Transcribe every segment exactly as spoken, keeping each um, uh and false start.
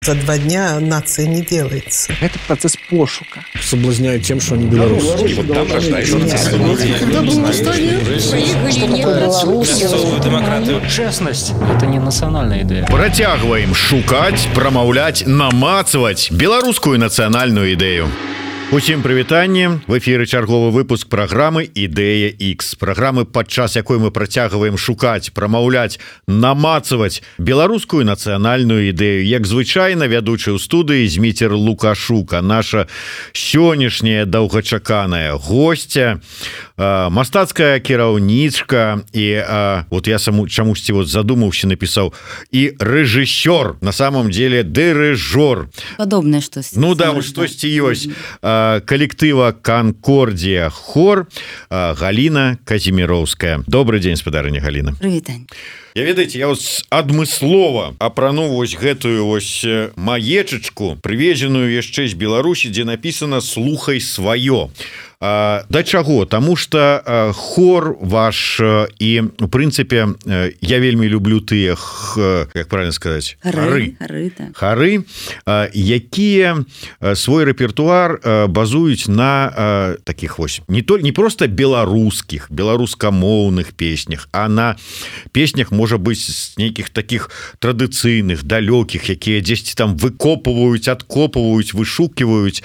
за два дня нация не делается. Это процесс пошука. Соблазняют тем, что они белорусы. Вот там рождаются демократию. Честность – это не национальная идея. Працягваем шукаць, прамаўляць, намацваць беларускую нацыянальную ідэю. Усім прывітанне. В эфіры чарговы выпуск праграмы «Ідэя Х». Праграмы, падчас якой мы працягваем шукаць, прамаўляць, намацваць беларускую нацыянальную ідэю. Як звычайна, вядучы ў студыі Зміцер Лукашука. Наша сённяшняя доўгачаканая госця, мастацкая кіраўнічка і вот я саму чамусьці вот задумаўся, напісаў і рэжысёр, на самом деле дырыжор. Падобнае штосьці. Ну да, вот штосьці ёсць. Коллектива «Конкордия хор» Галина Казимировская. Добрый день, спадарыня Галина. Прывітанне. Я ведаеце, я вось адмыслова апрануў вось гэтую вось маечачку, прывезеную яшчэ з Беларусі, дзе напісана «Слухай сваё». А, да чаго? Таму што а, хор ваш і, у прынцыпе, я вельмі люблю тыя, як правильно сказаць, хары, хары, так. хары а, якія свой рэпертуар а, базуюць на а, таких вось не то не просто беларускіх, беларускамоўных песнях, а на песнях, можа быць, з нейкіх таких традыцыйных, далёкіх, якія дзесьці там выкопваюць, адкопваюць, вышукиваюць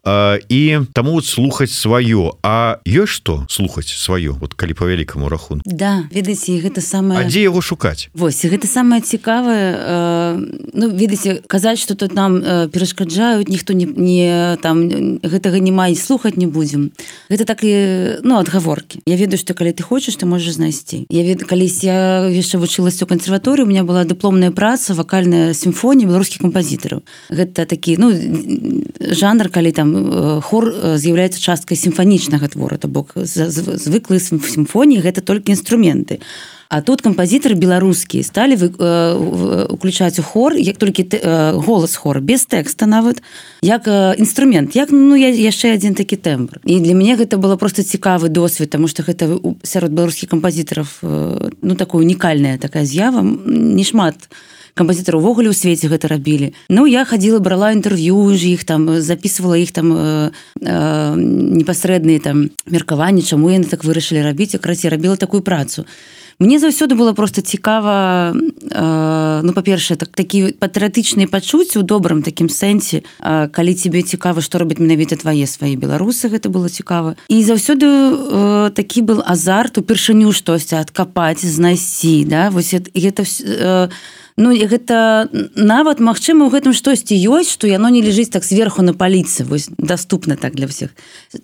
а, і таму вот слухаць сваё. А ёсць што слухаць сваё, вот калі по вялікаму рахунку? Да, ведаеце, гэта самае... А дзе яго шукаць? Вось, гэта самае цікавае. Э, ну, ведаеце, казаць, што тут нам э, перашкаджаюць, ніхто не, не там гэтага не мае, слухаць не будзем. Гэта так і, ну, адгаворкі. Я ведаю, што калі ты хочаш, ты можаш знайсці. Я ведаю, калісь я яшчэ вучылася ў кансерваторыі, у меня была дыпломная праца, вакальная сімфонія беларускіх кампазітараў. Гэта такі, ну, жанр, калі там хор з'яўляецца часткай сімфанічнага твора, то бок звыклыя сімфоніі гэта толькі інструменты. А тут кампазітары беларускія сталі уключаць у хор, як толькі голас хора, без тэкста нават, як інструмент, як, ну, яшчэ адзін такі тэмбр. І для мяне гэта было проста цікавы досвед, таму што гэта сярод беларускіх кампазітараў, ну, такая унікальная такая з'ява, не шмат кампазітары ўвогуле ў свеце гэта рабілі. Ну, я хадзіла, брала інтэрв'ю ж іх, там, записывала іх там э, э, непасрэдныя там меркаванні, чаму яны так вырашылі рабіць, якраз я рабіла такую працу. Мне заўсёды было просто цікава, э, ну, па-першае, так, такі патрыятычныя пачуцці ў добрым такім сэнсе, э, калі тебе цікава, што робяць менавіта твае свае беларусы, гэта было цікава. І заўсёды э, такі был азарт упершыню штосьці адкапаць, знайсці, да, вось гэта э, ну, гэта нават, магчыма, у гэтым штосьці ёсць, што яно не ляжыць так зверху на паліцы, вось, даступна так для ўсіх.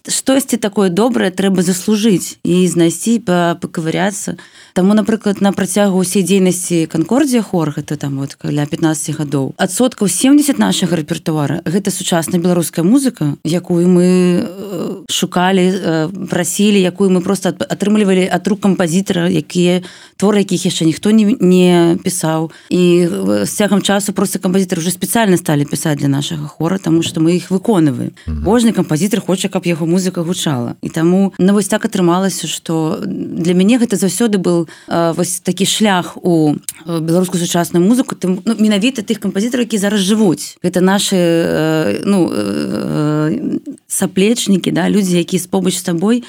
Штосьці такое добрае трэба заслужыць і знайсці, пакавыряцца. Таму, напрыклад, на працягу ўсей дзейнасці «Конкордия хор», гэта там вот каля пятнаццаць гадоў, адсоткаў семдзесят нашага рэпертуара гэта сучасная беларуская музыка, якую мы шукалі, прасілі, якую мы проста атрымлівалі ад рук кампазітара, якія творы, якіх яшчэ ніхто не, не пісаў. І з цягам часу просто кампазітары уже спецыяльна сталі пісаць для нашага хора, таму што мы іх выконваем. Mm-hmm. Кожны кампазітар хоча, каб яго музыка гучала. І таму, ну, вось так атрымалася, што для мяне гэта заўсёды быў э, вось такі шлях у беларускую сучасную музыку, тым, ну, менавіта тых кампазітараў, які зараз жывуць. Гэта нашы э, ну, э, саплечнікі, да, людзі, якія побач з табой.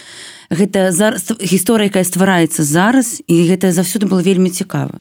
Гэта зараз гісторыя, якая ствараецца зараз, і гэта заўсёды было вельмі цікава.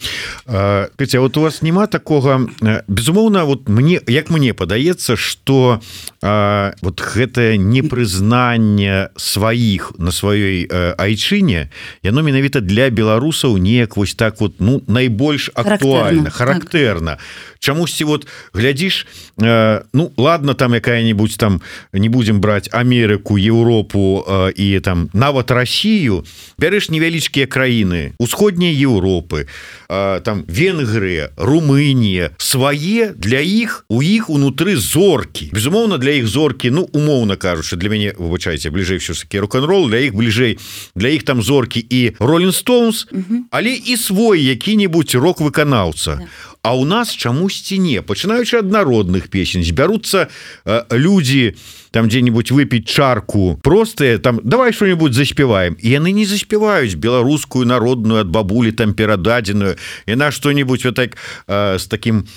Катя, вот у вас няма такога, безумоўна, вот мне, як мне падаецца, што а, вот гэтае непрызнанне сваіх на сваёй а, айчыне, яно менавіта для беларусаў неяк вось так вот, ну, найбольш актуальна, характэрна. Чамусьці вот глядзіш, э, ну, ладно, там якая-нибудь там, не будем браць Амерыку, Еўропу э, і там нават Россию, бярэш невялічкія краіны усходняй Еўропы, э, там Венгрыя, Румынія, свае, для іх, у іх унутры зоркі. Безумоўна, для іх зоркі, ну, умоўна кажучы, для мяне, выбачайце, бліжэй все-таки рок-н-рол, для іх бліжэй, для іх там зоркі і Rolling Stones, угу. Але і свой які-нибудь рок-выканаўца. Да. А у нас чамусьці не, пачынаючы ад народных песень, збяруцца э, людзі там дзе-нибудь выпіць чарку простыя, там давай что-нибудь заспяваем, і яны не заспяваюць беларускую народную ад бабулі там перададзеную, яна что-нибудь вот так э, с таким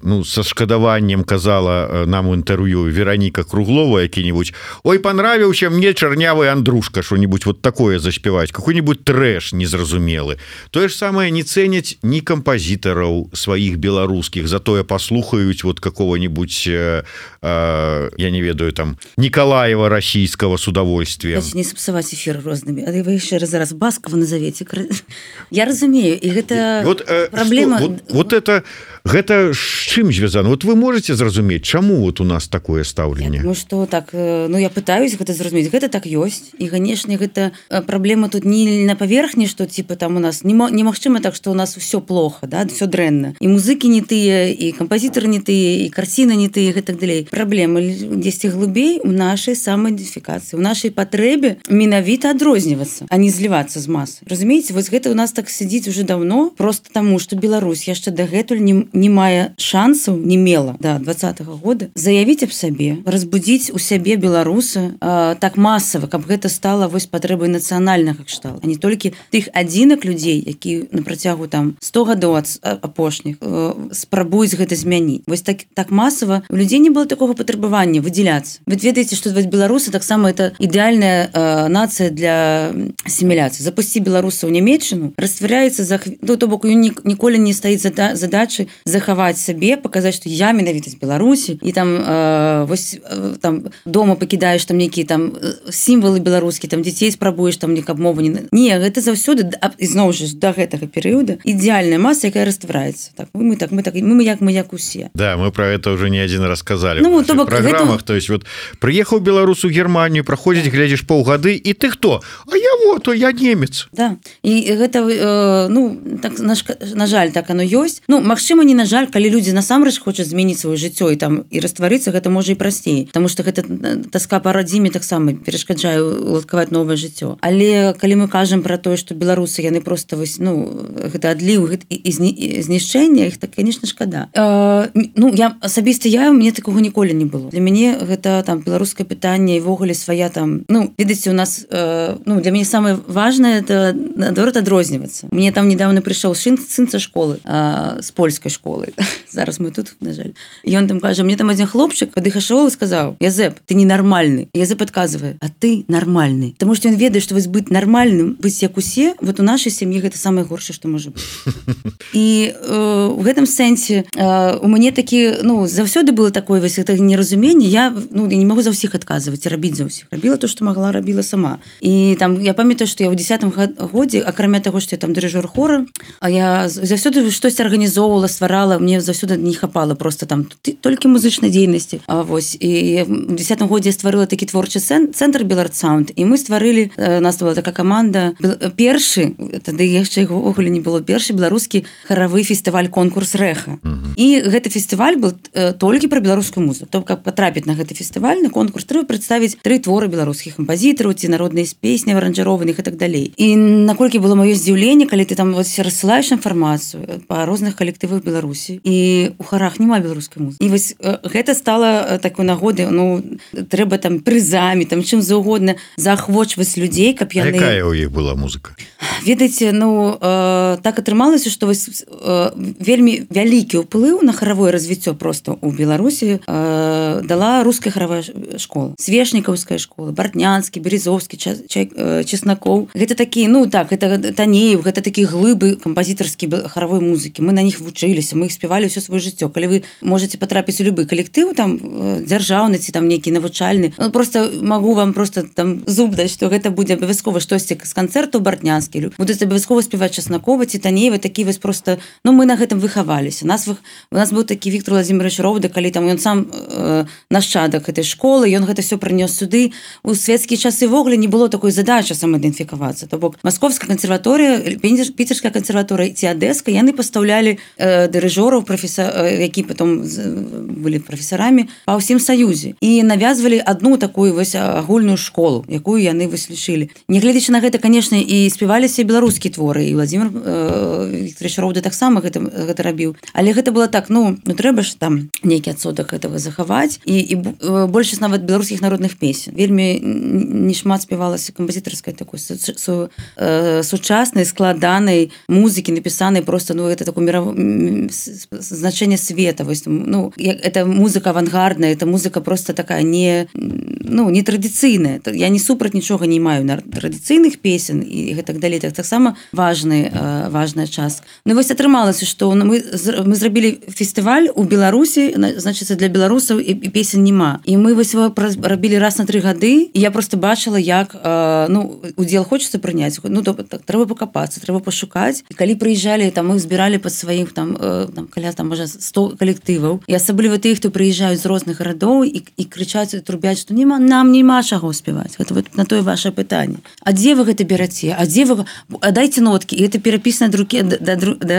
ну со шкадаваннем казала нам у інтэрв'ю Вероніка Круглова які-нибудь: ой, понравіўся мне чарнявы Андрушка, что-нибудь вот такое заспяваць, какой-нибудь трэш незразумелы. Тое ж самае не цэняць ні кампазітараў сваіх беларускіх, затое паслухаюць вот какого-нибудь э, э, я не ведаю там Николаева российского с удовольствием. Давайте не сапсаваць эфир рознымі. А вы яшчэ раз зараз Баскова назовете. Я разумею, і гэта вот, э, праблема. Что, вот, вот это гэта з чым звязано? Вот вы можете зразумець, чаму вот у нас такое стаўленне? Ну что так, ну я пытаюсь гэта зразумець. Гэта так ёсць. І канешне, гэта праблема тут не на паверхні, што типа там у нас немагчыма так, што у нас все плохо, да, все дрэнна. І музыкі не тыя, і кампазітары не тыя, і карціны не тыя, і так далей. Праблема дзесьці глыбей у нашай самаідэнтыфікацыі, у нашай патрэбе менавіта адрознівацца, а не злівацца з масы. Разумееце, вось гэта у нас так сидзіць уже давно, просто таму, што Беларусь яшчэ дагэтуль не, не мае шансаў, не мела да двадцатага года заявіць аб сабе, разбудзіць у сябе беларуса э, так масава, каб гэта стала вось патрэбай нацыянальнага кшталту, а не толькі тых адзінак людзей, які на працягу там сто гадоў ад апошніх э, спрабуюць гэта змяніць. Вось так, так масава у людзей не было такога патрабавання выдзяляцца. Вы ведаеце, што вось беларусы таксама это ідэальная э, нацыя для асіміляцыі. Запусці беларусаў у Нямецчыну, растваряецца за ну, то бок ніколі не стаіць зада, задачы захаваць сабе, паказаць, што я менавіта з Беларусі, і там э, вось э, там дома пакідаеш там нейкія там сімвалы беларускія, там дзяцей спрабуеш там некаб мову не не гэта заўсёды ізноў жа да гэтага перыяда ідэальная маса, якая раствараецца. Так мы так мы так мы, мы як мы як усе. Да, мы про это уже не один раз сказали ну, в наших программах. Гэта... То есть вот приехал беларус у Германию, проходзіць, глядзіш паўгады, і ты хто? А я вот, а я немец. Да. І гэта э, ну так на, на жаль, так оно ёсць. Ну, магчыма, не на жаль, калі людзі насамрэч хочуць змяніць сваё жыццё і там і растварыцца, гэта можа і прасцей, потому что гэта таска па радзіме таксама перашкаджае уладкаваць новае жыццё. Але калі мы кажам про тое, што беларусы яны просто вось ну гэта адліў гэта, і, і знішчэнне іх, так конечно шкада. Э, ну я асабіста я мне такого ніколі не было. Для мяне гэта там беларускае пытанне і ввогуле свая там ну ведаеце у нас э, ну для мяне самое важное это наадварот адрознівацца. Мне там недавно прыйшоў сын сын са школы э, з польскай школы. Зараз мы тут, на жаль. І ён там кажа, мне там адзін хлопчык падыхашоў і сказаў: Язэп, ты ненармальны. Язэп адказвае: а ты нармальны. Таму што ён ведае, што вось быць нармальным, быць як усе, вот у нашай сям'і гэта самае горшае, што можа быць. І э, у гэтым сэнсе э, у мяне такі ну заўсёды было такое вось гэта неразуменне. Я ну я не магу за ўсіх адказваць, рабіць за ўсіх. Рабіла то, што магла, рабіла сама. І там я памятаю, што я ў дзесятым годзе, акрамя таго, што я там дырыжор хора, а я заўсёды штосьці арганізоўвала, стварала, мне заўсёды не хапала просто там толькі музычнай дзейнасці. А вось і ў дзесятым годзе я стварыла такі творчы цэнтр Беларсаунд, і мы стварылі, нас была такая каманда, першы, тады яшчэ ўвогуле не было, першы беларускі харавы фестываль конкурс рэха. Uh-huh. І гэты фестываль был э, толькі пра беларускую музыку. То каб патрапіць на гэты фестываль, на конкурс, трэба прадставіць тры творы беларускіх кампазітараў, ці народныя песні аранжырованых і так далей. І наколькі было маё здзіўленне, калі ты там вось рассылаеш інфармацыю па розных калектывах Беларусі, і у харах няма беларускай музыкі. І вось э, гэта стала такой нагодай, ну трэба там прызамі, там чым заўгодна заахвочваць людзей, каб яны... А якая ў іх была музыка? Ведаеце, ну э, так атрымалася, што вось э, вельмі вялікі ўплыў на харавое развіццё просто ў Беларусі э, дала руская харавая школа, свешнікаўская школа, Бартнянскі, Березовскі, Чеснакоў. Гэта такі, ну так, гэта Танеев, гэта такі глыбы кампазітарскі харавой музыкі. Мы на них вучыліся, мы іх спявалі ўсё сваё жыццё. Калі вы можете патрапіць у любы калектыў, там дзяржаўны ці там нейкі навучальны, ну, просто магу вам просто там зуб даць, што гэта будзе абавязкова штосьці з канцэрту Бартнянскі, будуць абавязкова спяваць Чеснакова ці Танеева, такі вось просто, ну мы на гэтым выхаваліся. Нас у нас быў такі Віктор Владимирович Роўда, калі там ён сам э, нашчадак гэтай школы, ён гэта все прынёс сюды. У свецкія часы ввогуле не было такой задачы самаідэнтыфікавацца. То бок Маскоўская кансерваторыя, Піцерская кансерваторыя ці Адэска, яны пастаўлялі э, дырыжораў, професор, э, які потом былі прафесарамі па ўсім саюзе. І навязвалі адну такую вось агульную школу, якую яны вось лічылі. Нягледзячы на гэта, канешне, і спяваліся беларускія творы, і Владимир э, Вікторович Роўда таксама гэта, гэта рабіў. Але гэта было так, ну, ну трэба ж там нейкі адсотак гэтага захаваць. спяваць і, і большасць нават беларускіх народных песен вельмі не шмат спявалася кампазітарскай такой су, су, э, сучаснай складанай музыкі напісанай просто ну это такое миров... значение света вось, ну это музыка авангардная, это музыка просто такая не ну не традыцыйная, я не супраць нічога не маю на традыцыйных песен і гэтак далей, так таксама важны э, важная частка. Ну вось атрымалася, што мы мы зрабілі фестываль у Беларусі, значыцца для беларусаў і, і песен няма. І мы вось его рабілі раз на тры гады, і я просто бачыла, як э, ну удзел хочацца прыняць. Ну то, так, трэба пакапацца, трэба пашукаць. І калі прыязджалі, там мы збіралі пад сваіх там, э, там каля там можа сто калектываў. І асабліва тых, хто прыязджаюць з розных гарадоў і, і крычаць, і трубяць, што нема, нам няма чаго спяваць. Гэта вот на тое ваше пытанне. А дзе вы гэта бераце? А дзе вы а дайце ноткі, і это перапісана ад рукі да, да, да,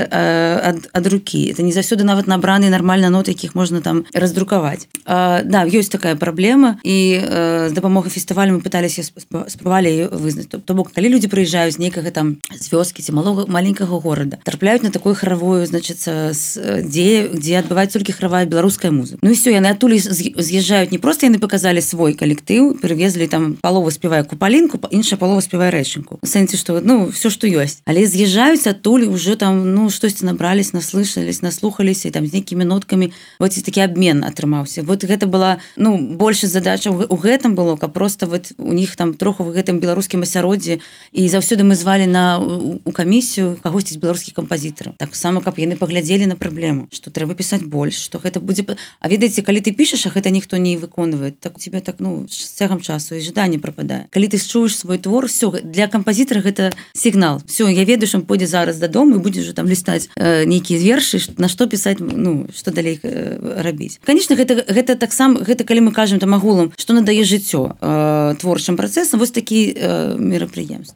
ад, ад рукі. Это не заўсёды нават набраныя нармальна ноты, якіх можна там раздрукаваць. А, да, ёсць такая праблема, і э, з дапамогай фестывалю мы пыталіся спрабавалі вызнаць. То, то бок, калі людзі прыязджаюць з нейкага там з вёскі ці малога маленькага горада, трапляюць на такую харавую, значыцца, дзе, дзе адбываецца толькі харавая беларуская музыка. Ну і все, яны адтуль з'язджаюць, не проста яны паказалі свой калектыў, перавезлі там палова спявае купалінку, іншая палова спявае рэчынку. У сэнсе, што ну все, што ёсць. Але з'язджаюць адтуль уже там ну штосьці набрались, наслышались, наслухаліся, і там з нейкімі ноткамі вот такі абмен атрымаўся. Вот гэта была ну больш задача у гэтым было, каб просто вот у них там троху в гэтым беларускім асяроддзі, і заўсёды мы звалі на у камісію кагосьці з беларускіх кампазітараў. Так само, каб яны паглядзелі на праблему, што трэба пісаць больш, што гэта будзе. А ведаеце, калі ты пішаш, а гэта ніхто не выконвае, так у тебя так ну з цягам часу і жаданне прападае. Калі ты чуеш свой твор, все для кампазітара гэта сігнал. Все, я ведаю, што пойдзе зараз дадому і будзе ўжо там лістаць э, нейкія вершы, на што пісаць, ну што далей э, рабіць. Конечно, гэта гэта таксама гэта калі мы кажам там агулам, што надае жыццё э, творчым працэсам, вось такі э, мерапрыемствы.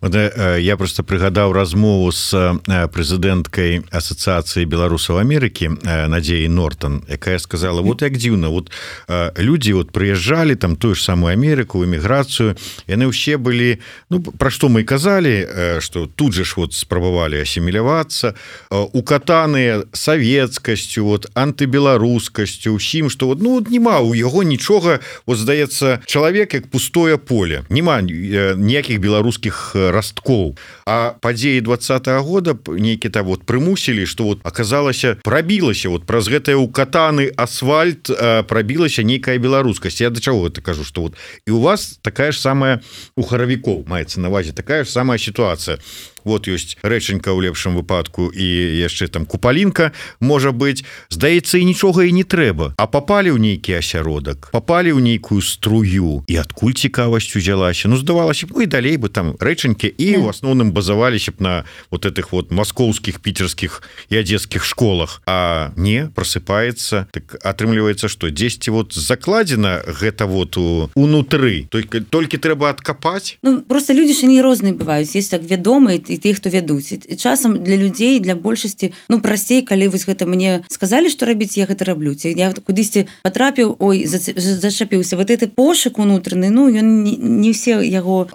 Вот, э, я просто прыгадаў размову з э, прэзідэнткай асацыяцыі беларусаў Амерыкі э, Надзеяй Нортон, якая сказала: вот як дзіўна, вот э, людзі вот прыязджалі там тую ж самую Амерыку, эміграцыю, яны ўсе былі, ну пра што мы казалі, э, што тут же ж вот спрабавалі асімілявацца, э, укатаныя савецкасцю, вот антыбеларускасцю, усім, што вот ну няма у яго нічога, вот здаецца, чалавек як пустое поле, няма э, ніякіх беларускіх расткоў. А падзеі двадцатага года нейкі там вот прымусілі, што вот аказалася, прабілася вот праз гэтае укатаны асфальт, э, прабілася нейкая беларускасць. Я да чаго гэта кажу, што вот і у вас такая ж самая у харавікоў маецца на увазе, такая ж самая сітуацыя. Вот ёсць рэчанька ў лепшым выпадку і яшчэ там купалінка можа быць, здаецца, і нічога і не трэба, а попалі ў нейкі асяродак, попалі ў нейкую струю, і адкуль цікавасць узялася. Ну здавалася б, ну і далей бы там рэчанькі і ў асноўным базаваліся б на вот этих вот маскоўскіх, піцерскіх і адзескіх школах, а не просыпаецца, так атрымліваецца, што дзесьці вот закладзена гэта вот унутры, толькі толькі трэба адкапаць. Ну просто людзі ж не розныя бываюць, есть так вядомыя і тых, хто вядуць. І часам для людзей, для большасці, ну прасцей, калі вось гэта мне сказалі, што рабіць, я гэта раблю. Ці я кудысьці патрапіў, ой, зачапіўся. Вот гэты пошук унутраны, ну ён не, не все яго,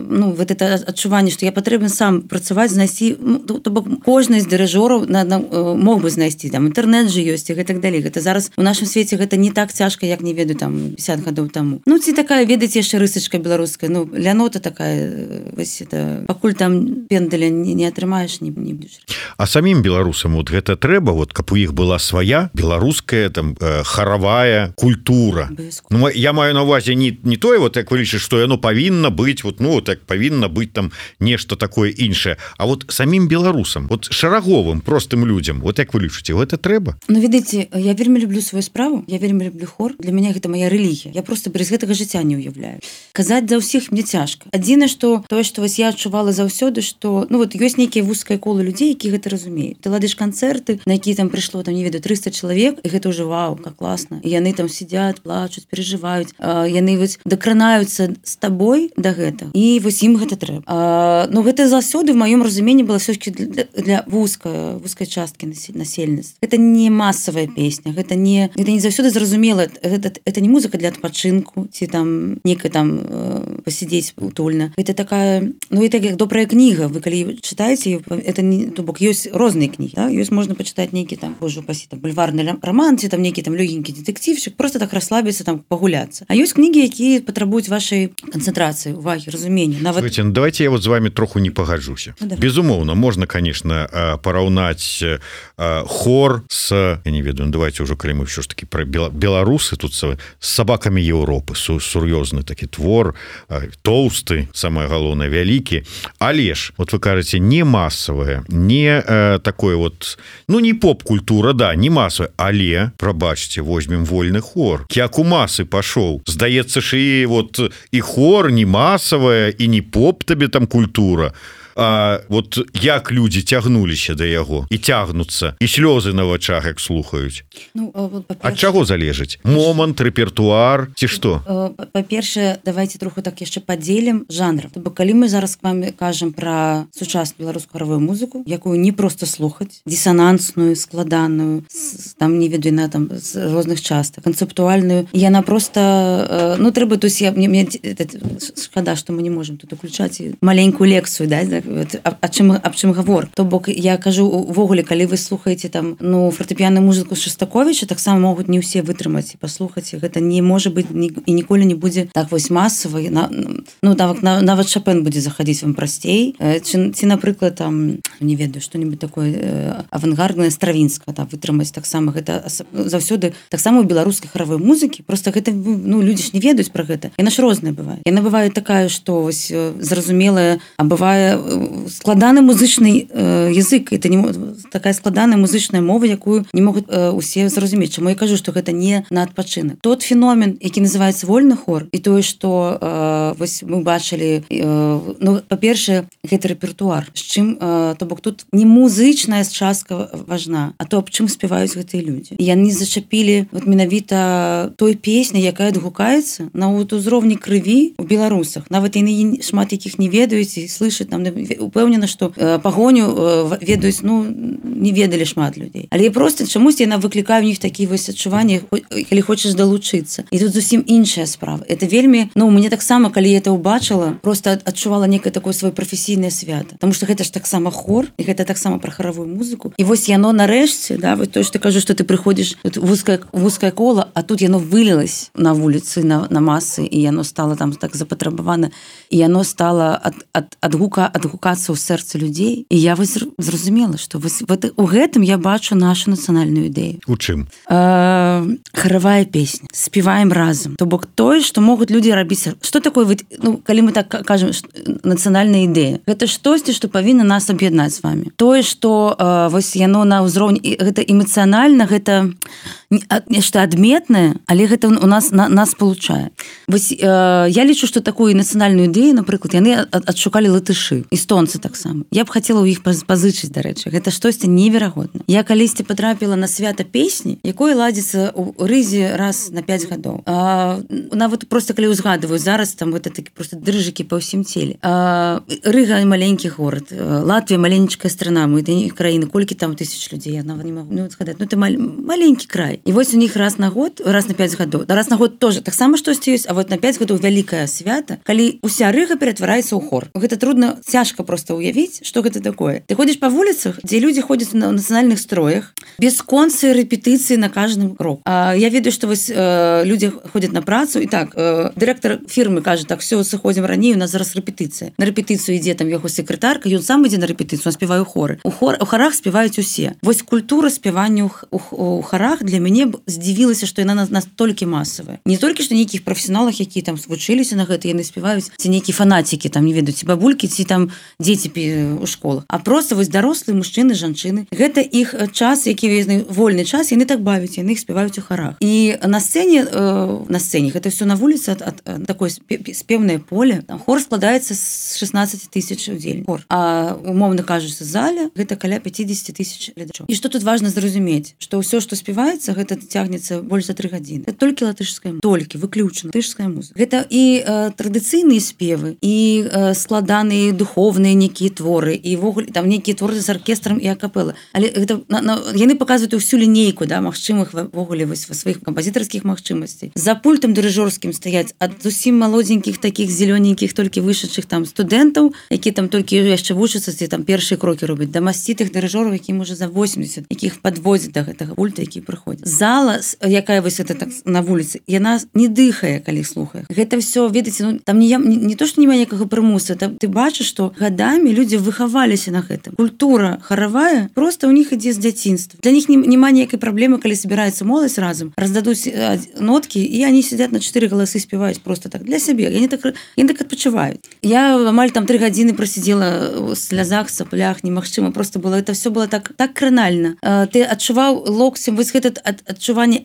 ну вот это адчуванне, што я патрэбен сам працаваць, знайсці, ну, то бок кожны з дырыжораў на, на, мог бы знайсці, там інтэрнэт жа ёсць і гэтак далей. Гэта зараз у нашым свеце гэта не так цяжка, як не ведаю там пятьдесят гадоў таму. Ну ці такая, ведаеце, яшчэ рысачка беларуская, ну лянота такая, вось это, пакуль там пендаля не, не атрымаеш, не, не будзеш. А самім беларусам вот гэта трэба, вот каб у іх была свая беларуская там э, харавая культура. Ну я маю на увазе не, не тое, вот як вы лічыце, што яно павінна быць, вот ну так павінна быць там нешта такое іншае, а вот самім беларусам, вот шараговым простым людзям, вот як вы лічыце, гэта трэба? Ну ведаеце, я вельмі люблю сваю справу, я вельмі люблю хор, для мяне гэта моя рэлігія, я просто без гэтага жыцця не уяўляю. Казаць за ўсіх мне цяжка. Адзінае, што тое, што вось я адчувала заўсёды, што ну вот ёсць нейкія вузкае кола людзей, які гэта разумеюць. Ты ладыш канцэрты, на якія там прыйшло там не ведаю трыста чалавек, і гэта ўжо вау, как класна. І яны там сидят, плачуць, перажываюць, а, яны вось дакранаюцца з табой да гэтага. І вось ім гэта трэба. А, ну гэта заўсёды в маём разуменні была все-таки для, для вузкай вузкай часткі насельніцтва. Гэта не масавая песня, гэта не гэта не заўсёды зразумела. Гэта это не музыка для адпачынку ці там некая там э, пасядзець утульна. Гэта такая, ну і так як добрая кніга, вы калі чытаеце, это не, то бок ёсць розныя кнігі, да? Ёсць можна пачытаць нейкі там, божа упасі, там бульварны роман, ці там нейкі там лёгенькі дэтэктивчык, просто так расслабіцца, там пагуляцца. А ёсць кнігі, якія патрабуюць вашай канцэнтрацыі, увагі, разумення. Нават... Слушайте, ну, давайте я вот з вами троху не пагаджуся. Ну, безумоўна, можна, конечно, параўнаць хор с, я не ведаю, ну, давайте уже, калі мы ўсё ж таки про беларусы тут с сабакамі Еўропы, сур'ёзны такі твор, тоўсты, самое галоўнае, вялікі. Але ж, вот вы кажаце, не масавае, не э, такое вот, ну, не поп-культура, да, не масавая, але, прабачце, возьмем вольны хор. Як у масы пашоў. Здаецца ж і вот і хор не масавая, і не поп табе там культура. А вот як людзі цягнуліся да яго і цягнуцца, і слёзы на вачах як слухаюць. Ну, ад чаго залежыць? Момант, рэпертуар ці што? Па-першае, давайте троху так яшчэ падзелім жанраў. То бок калі мы зараз к вам кажам пра сучасную беларускую харавую музыку, якую не проста слухаць, дысанансную, складаную, там не ведаю на там з розных частак, канцэптуальную, яна просто, ну трэба, то есть я мне, мне шкада, што мы не можам тут уключаць маленькую лекцыю, да, аб чым, аб чым гавор. То бок я кажу увогуле, калі вы слухаеце там ну фартэпіяную музыку Шастаковіча, таксама могуць не ўсе вытрымаць і паслухаць, гэта не можа быць ні, і ніколі не будзе так вось масава, на, ну нават, нават Шопен будзе заходіць вам прасцей, ці, ці напрыклад там не ведаю што-нибудь такое авангарднае Стравінскага там вытрымаць, таксама гэта заўсёды таксама у беларускай харавой музыкі, просто гэта ну людзі ж не ведаюць пра гэта, яна ж розная бывае, яна бывае такая, што вось зразумелая, а бывае складаны музычны э, язык, это не такая складаная музычная мова, якую не могуць э, усе зразумець. Чаму я кажу, што гэта не на адпачынак. Тот феномен, які называецца вольны хор, і тое, што э, вось мы бачылі, э, ну, па-першае, гэта рэпертуар. З чым, э, то бок тут не музычная частка важна, а то аб чым спяваюць гэтыя людзі. І яны зачапілі вот менавіта той песні, якая адгукаецца на вот узроўні крыві у беларусах. Нават яны шмат якіх не ведаюць і слышаць там упэўнена, што э, пагоню э, ведаюць, ну, не ведалі шмат людзей. Але проста чамусь яна выклікае ў них такія вось адчуванні, калі хочаш далучыцца. І тут зусім іншая справа. Это вельмі, ну, мне таксама, калі я это ўбачыла, просто адчувала некае такое сваё прафесійнае свята. Таму што гэта ж таксама хор, і гэта таксама пра харавую музыку. І вось яно нарэшце, да, вось то, што кажу, што ты прыходзіш вузкае, вузкае кола, а тут яно вылілась на вуліцы, на, на масы, і яно стала там так запатрабавана, і яно стала ад, ад, адгука, адгука адгукацца ў сэрцы людзей, і я вось зразумела, што вось у гэтым я бачу нашу нацыянальную ідэю. У чым? Э, харавая песня, спеваем разам. То бок тое, што могуць людзі рабіць. Што такое, ну, калі мы так кажам, нацыянальная ідэя? Гэта штосьці, што павінна нас аб'яднаць з вами. Тое, што э, вось яно на ўзроўні, гэта эмацыянальна, гэта нешта адметнае, але гэта у нас на, нас получае. Вось э, я лічу, што такую нацыянальную ідэю, напрыклад, яны адшукалі латышы, эстонцы таксама. Я б хацела ў іх пазычыць, дарэчы. Гэта штосьці неверагодна. Я калісьці патрапіла на свята песні, якое ладзіцца ў рызе раз на пяць гадоў. А, нават проста калі ўзгадываю, зараз там гэта такі проста дрыжыкі па ўсім целе. А, Рыга маленькі горад, Латвія маленечкая страна, мы да краіны, колькі там тысяч людзей, я нават не магу ну, згадаць. Ну, это мал... маленькі край. І вось у них раз на год, раз на пяць гадоў. Да раз на год тоже таксама штосьці ёсць, а вот на пяць гадоў вялікае свята, калі уся Рыга ператвараецца ў хор. Гэта трудна, цяжка просто уявіць, што гэта такое. Ты ходзіш па вуліцах, дзе людзі ходзяць на нацыянальных строях, без концы рэпетыцыі на каждым крок. А я ведаю, што вось э, людзі ходзяць на працу, і так, э, дырэктар фірмы кажа, так, все, сыходзім раней, у нас зараз рэпетыцыя. На рэпетыцыю ідзе там яго секретарка, ён сам ідзе на рэпетыцыю, он спявае ў хоры. У, хор, у харах спяваюць усе. Вось культура спявання ў, у, у харах для мяне здзівілася, што яна настолькі масавая. Не толькі што нейкіх прафесіяналах, які там вучыліся на гэта, яны спяваюць, ці нейкія фанацікі, там не ведаюць, ці бабулькі, ці там дзеці у школах. А просто вось дарослыя мужчыны, жанчыны. Гэта іх час, які вольны час, яны так бавяць, яны іх спяваюць у харах. І на сцэне, э, на сцэне, гэта все на вуліцы, ад, ад, ад такое спеўнае поле. Там хор складаецца з шестнадцать тысяч удзельнікаў. А умоўна кажучы, зале гэта каля пятьдесят тысяч гледачоў. І што тут важна зразумець, што ўсё, што спяваецца, гэта цягнецца больш за тры гадзіны. Это толькі латышская музыка, толькі выключна латышская музыка. Гэта і э, традыцыйныя спевы, і э, складаныя духовныя духовныя нейкія творы і ввогуле там нейкія творы з аркестрам і акапэла. Але гэта на, на, яны паказваюць усю лінейку, да, магчымых ввогуле вось сваіх кампазітарскіх магчымасцей. За пультам дырыжорскім стаяць ад зусім малодзенькіх такіх зелёненькіх толькі вышедшых там студэнтаў, які там толькі яшчэ вучацца, ці там першыя крокі робяць, да масцітых дырыжораў, які можа за восемьдесят, якіх падводзяць да гэтага пульта, які прыходзяць. Зала, якая вось это так на вуліцы, яна не дыхае, калі слухае. Гэта все, ведаеце, ну там не, не, не то, што няма ніякага прымуса, там ты бачыш, што гадамі людзі выхаваліся на гэтым. Культура харавая просто ў них ідзе з дзяцінства. Для них няма ніякай праблемы, калі збіраецца моладзь разам, раздадуць ноткі, і они сидят на чатыры галасы, спеваюць просто так для сябе. Яны так, яны так адпачываюць. Я амаль там тры гадзіны просидела в слязах, саплях, немагчыма, просто было, это все было так, так кранальна. Ты адчуваў локцем, вось гэта адчуванне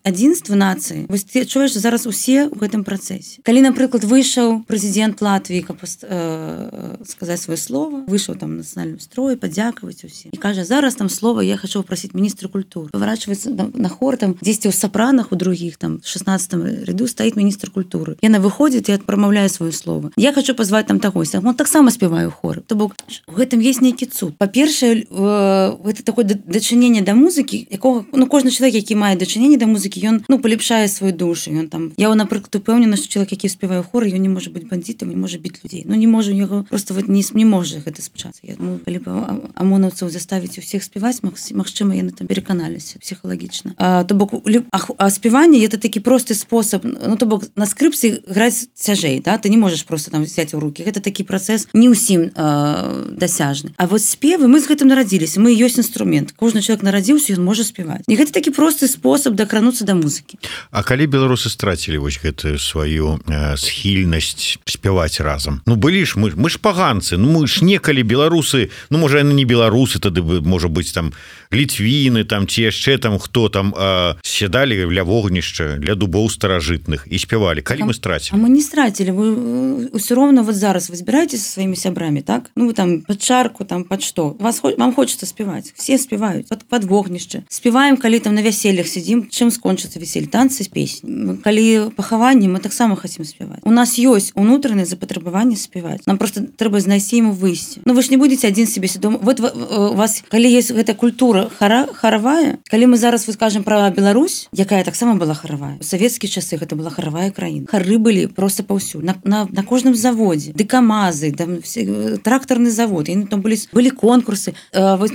адзінства нацыі. Вось ты адчуваеш, што зараз усе ў гэтым працэсе. Калі, напрыклад, выйшаў прэзідэнт Латвіі, каб э, сказаць сваё слово, выйшаў там на нацыянальным строі, падзякаваць усе. І кажа, зараз там слова я хочу попросить министра культуры. Поворачивается на хор, там, здесь у сопранах, у других, там, в шестнадцатом ряду стоит министр культуры. И она выходит и промовляет свое слово. Я хочу позвать там такой. Он так само спеваю в хор. То бок, в этом есть некий цуд. По-перше, это такое дачынение до музыки, якого, ну, кожный человек, який мае дачынение до музыки, он, ну, полепшае свою душу. Он там, я, например, упевнена, что человек, який спеваю в хор, он не может быть бандитом, не может бить людей. Ну, не может, у него просто вот не, не может это спечаться. Я думаю, либо ОМОНовцев заставить у всех спевать, магчыма, яны там пераканаліся псіхалагічна. А, то бок, а, а спеванне это такі просты спосаб, ну, то бок, на скрипцы граць цяжэй, да? Ты не можаш просто там взять у руки. Гэта такі працэс не ўсім а, дасяжны. А вот спевы, мы з гэтым нарадзіліся, мы ёсць інструмент. Кожны чалавек нарадзіўся, ён можа спеваць. І гэта такі просты спосаб дакрануцца да музыкі. А калі беларусы страцілі вось гэтую сваю э, схільнасць спяваць разам? Ну, былі ж, мы, мы ж паганцы, ну, мы ж некалі беларусы, ну, можа, яны не беларусы, тады, можа быць, там, літвіны, там, ці яшчэ там, хто там э, сядалі ля вогнішча, ля дубоў старажытных і спявалі. Калі а, мы страцілі? А мы не страцілі. Вы ўсё роўна вот зараз вы збіраеце со сваімі сябрамі, так? Ну, вы там пад чарку, там, пад што? Вас, вам хочется спеваць. Все спеваюць. Пад, пад вогнішча. Спеваем, калі там на вяселлях сидим, чым скончыцца веселье? Танцы, песні. Калі пахаванне, мы таксама хацім спеваць. У нас ёсць унутранае запатрабаванне спеваць. Нам просто трэба знайсці ему выйсці. Ну, вы ж не будете адзін себе свядома. Вот у вас, калі есть гэта культура хара, харавая, калі мы зараз вы скажем про Беларусь, якая таксама была харавая. У савецкія часы гэта была харавая краіна. Хары былі просто паўсюль. На, на, на кожным заводзе. Дэкамазы, там, все, трактарны завод. І там былі, былі конкурсы. Э, вот,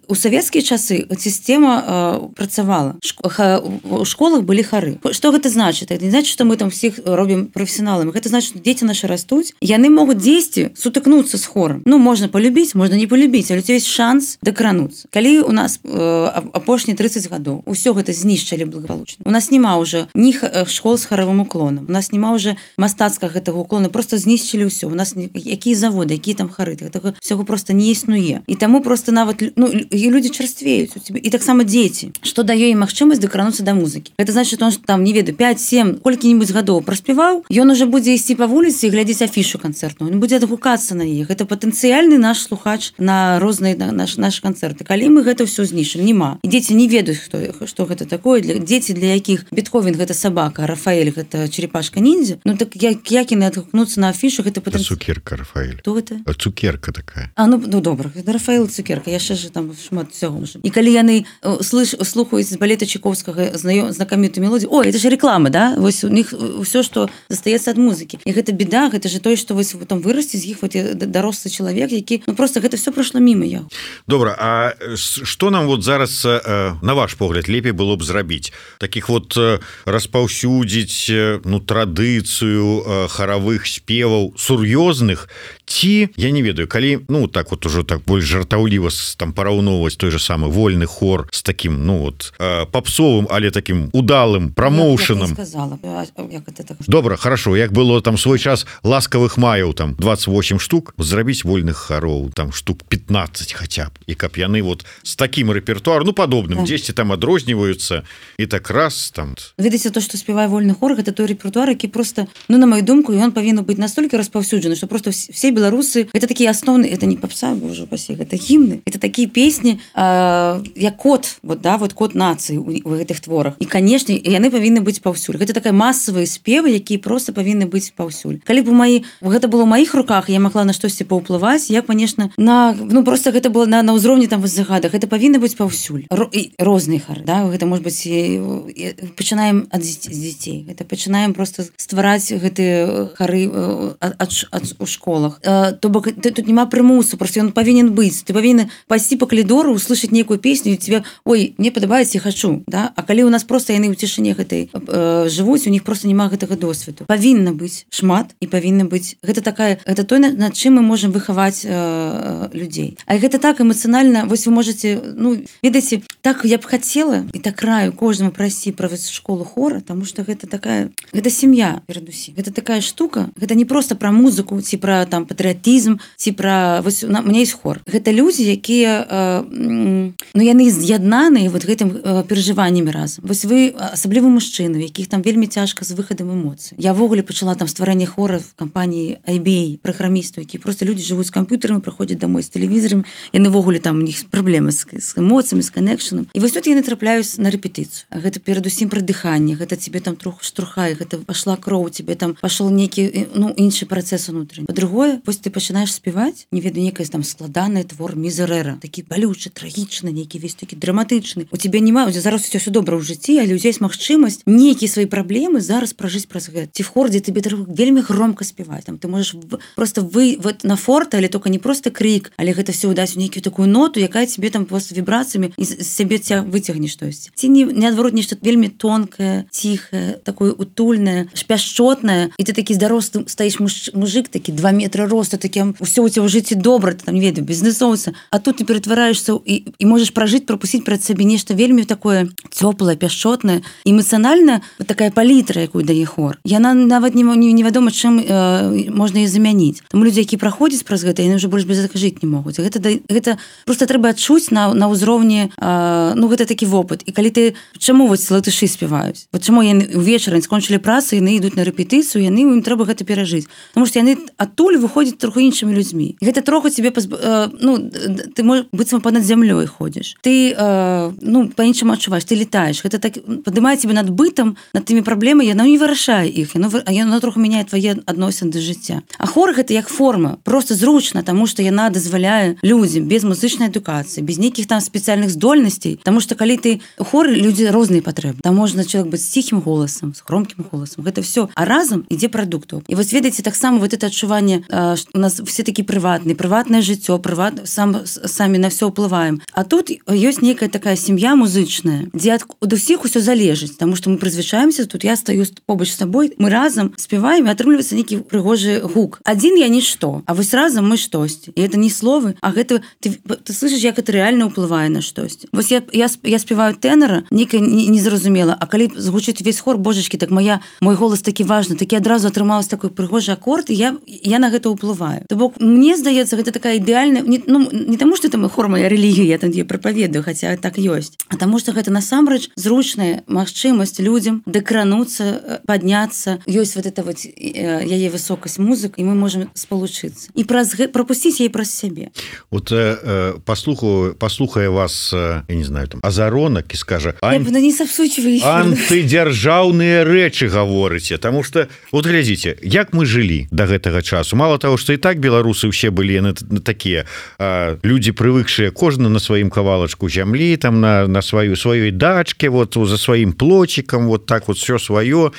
у савецкія часы сістэма э, працавала. Шко, ха, у школах былі хары. Што гэта значыць? Это не значыць, што мы там всіх робім прафесіяналамі. Гэта значыць, што дзеці нашы растуць, яны могуць дзесьці сутыкнуцца з хорам. Ну, можна полюбіць, можна не полюбіць, але у тебя есть шанс дакрануцца. Калі у нас э, апошнія тридцать гадоў усё гэта знішчылі благополучна. У нас няма ўжо ні школ з харавым уклонам. У нас няма ўжо мастацкага гэтага уклона, просто знішчылі ўсё. У нас якія заводы, якія там хары, гэтага всього просто не існуе. І таму просто нават, ну, людзі чарствеюць у тебе. І таксама дзеці. Што дае ім магчымасць дакрануцца да музыкі. Гэта значыць, што он там, не ведаю, пять семь, колькі-небудзь гадоў праспяваў, ён уже будзе ісці па вуліцы і глядзець афішу канцэртную. Ён будзе адгукацца на іх. Гэта патэнцыяльны наш слухач на розныя на наш, наши канцэрты. Калі мы гэта ўсё знішчылі, нема. І дзеці не ведаюць, хто, што гэта такое. Для, дзеці, для якіх Бетховен гэта сабака, а Рафаэль гэта черепашка-ніндзя, ну так як, як яны адгукнуцца на афішу, гэта патэнцыяльны... Цукерка, Рафаэль. Хто гэта? А цукерка такая. А, ну, ну добра, гэта Рафаэл цукерка, яшчэ ж там шмат всього можа. І калі яны слыш, слухаюць з балета Чайковскага знакамітую мелодію, ой, это же реклама, да? Вось у них ўсё, што застаецца ад музыкі. І гэта беда, гэта же тое, што вось там вырасце з іх вот дарослы чалавек, які, ну просто гэта все пройшло мимо яго. Добра, а што нам вот зараз, на ваш погляд, лепей было б зрабіць? Такіх вот распаўсюдзіць, ну, традыцыю харавых спеваў сур'ёзных, ці, я не ведаю, калі, ну, так вот ужо так больш жартаўліва там параўноўваць той же самы вольны хор з такім, ну, вот, папсовым, але такім удалым прамоушанам. Я, я сказала, як это так? Добра, хорошо, як было там свой час ласкавых маяў, там, двадцать восемь штук, зрабіць вольных хароў, там, штук пятнадцать хотя б, і каб яны вот з такім рэпертуаром, ну, падобным, дзесьці там адрозніваюцца, і так раз, там... Ведаеце, то, што спявае вольны хор, гэта той рэпертуар, які просто, ну, на мою думку, ён павінен быць настолькі распаўсюджаны, што просто все беларусы это такія асноўныя, это не попса, боже упаси, это гімны, это такія песні э, як код, вот да, вот код нацыі у, у гэтых творах. І канешне, яны павінны быць паўсюль. Гэта такая масавыя спевы, якія просто павінны быць паўсюль. Калі б у маі гэта было ў маіх руках, я магла на штосьці паўплываць, я, конечно, на ну просто гэта было на на ўзроўні там загадах, гэта павінна быць паўсюль. Ро, і розныя хары, да, гэта может быть і, і, пачынаем ад дзяцей. Гэта пачынаем просто ствараць гэтыя хары ад, ад, ад, у школах. Э, то бок тут няма прымусу, просто ён павінен быць. Ты павінен пайсці па калідору, услышаць нейкую песню і тебе, ой, мне падабаецца, я хочу, да? А калі у нас просто яны ў цішыне гэтай э, жывуць, у них просто няма гэтага досведу. Павінна быць шмат і павінна быць гэта такая, гэта той, над чым мы можам выхаваць э, людзей. А гэта так эмацыянальна, вось вы можете, ну, ведаеце, так я б хацела і так раю кожнаму прайсці праз школу хора, таму што гэта такая, гэта сям'я перадусім. Гэта такая штука, гэта не просто пра музыку, ці пра там патрыятызм, ці пра вось у мяне ёсць хор. Гэта людзі, якія э, ну яны з'яднаныя вот гэтым э, перажываннямі разам. Вось вы асабліва мужчыны, якіх там вельмі цяжка з выхадам эмоцый. Я ввогуле пачала там стварэнне хора в кампаніі ай би эй, праграмістаў, які просто людзі жывуць з камп'ютарамі, прыходзяць домой з тэлевізарам, яны ввогуле там у них праблемы з, з эмоцыямі, з канекшанам. І вось тут яны трапляюць на рэпетыцыю. Гэта перадусім пра дыханне, гэта тебе там троху штурхае, гэта пашла кроў, тебе там пашоў нейкі ну іншы працэс унутраны. Па-другое, вось ты пачынаеш спяваць, не ведаю, некая там складаны твор мізерэра, такі балючы, трагічны, нейкі весь такі драматычны. У тебе няма, зараз усё ўсё добра ў жыцці, але у тебя есть магчымасць нейкія свае праблемы зараз пражыць праз гэта. Ці в хордзе тебе вельмі громко спяваць. Там ты можаш просто вы вот на форта, але только не просто крик, але гэта все ўдаць у нейкую такую ноту, якая тебе там просто вібрацыямі і з сябе ця выцягне штосьці. Ці не наадварот нешта вельмі тонкае, ціхае, такое утульнае, пяшчотнае, і ты такі здарослы стаіш муж, мужик такі два метра росту, такі ўсё у тебя ў жыцці добра, ты там не ведаю, бізнесоўца, а тут ты ператвараешься і, і можаш пражыць, пропусціць перад сабе нешта вельмі такое цёплае, пяшчотнае, эмацыянальна такая палітра, якую дае хор. Яна нават не, не, невядома, чым э, можна яе замяніць. Таму людзі, які праходзяць праз гэта, яны ўжо больш без гэтага жыць не могуць. Гэта, гэта просто трэба адчуць на, на ўзроўні, э, ну гэта такі вопыт. І калі ты, чаму вось латышы спяваюць? Вот чаму яны ўвечары скончылі працу, яны ідуць на рэпетыцыю, яны ім трэба гэта перажыць. Таму што яны адтуль выходзяць троху іншымі людзьмі. І гэта троху тебе пазб... э, ну ты можаш быццам понад зямлёй ходзіш. Ты э, ну па-іншаму адчуваеш, ты летаеш. Гэта так падымае тебе над бытам, над тымі праблемамі, яна не вырашае іх, яно, яно троху мяняе твае адносіны да жыцця. А хор гэта як форма, просто зручна, таму што яна дазваляе людзям без музычнай адукацыі, без нейкіх там спецыяльных здольнасцей, таму што калі ты хор, людзі розныя патрэбы. Там можна чалавек быць з ціхім голасам, з громкім голасам. Гэта все, а разам ідзе прадукту. І вось ведаеце, таксама вот это адчуванне, э, у нас все такі прыватныя, прыватнае жыццё, прыват сам самі на все ўплываем. А тут ёсць нейкая такая сям'я музычная, дзе ад, ад усіх усё залежыць, таму што мы прызвычаемся, тут я стаю побач з сабой, мы разам спяваем, і атрымліваецца нейкі прыгожы гук. Адзін я нішто, а вось разам мы штосьці. І это не словы, а гэта ты, ты слышиш, як это реально ўплывае на штосьці. Вось я, я, я спяваю тенора, нейкая незразумела, а калі згучыць весь хор, божачкі, так моя, мой голас такі важны, такі адразу атрымалась такой прыгожы акорд, і я, я на гэта ўплываю. То бок, мне здаецца, гэта такая ідэальная, не, ну, не таму, што там хор моя рэлігія, я там її прапаведую, хаця так ёсць, а таму, што гэта насамрэч зручная магчымасць людзям дакрануцца, падняцца, ёсць вот это вот яе высокасць музык, і мы можам спалучыцца. І праз прапусціць яе праз сябе. Вот э, паслухаю, паслухае вас, э, я не знаю, там Азаронак і скажа: Ань... Я не сапсучваю. Антыдзяржаўныя рэчы гаворыце, таму што вот глядзіце, як мы жылі да гэтага часу. Мало того, што і так беларусы ўсе былі на, на такія э, людзі прывыкшыя кожны на сваім кавалачку зямлі, там на, на сваю сваёй дачке, вот за сваім плочікам, вот так вот все сваё.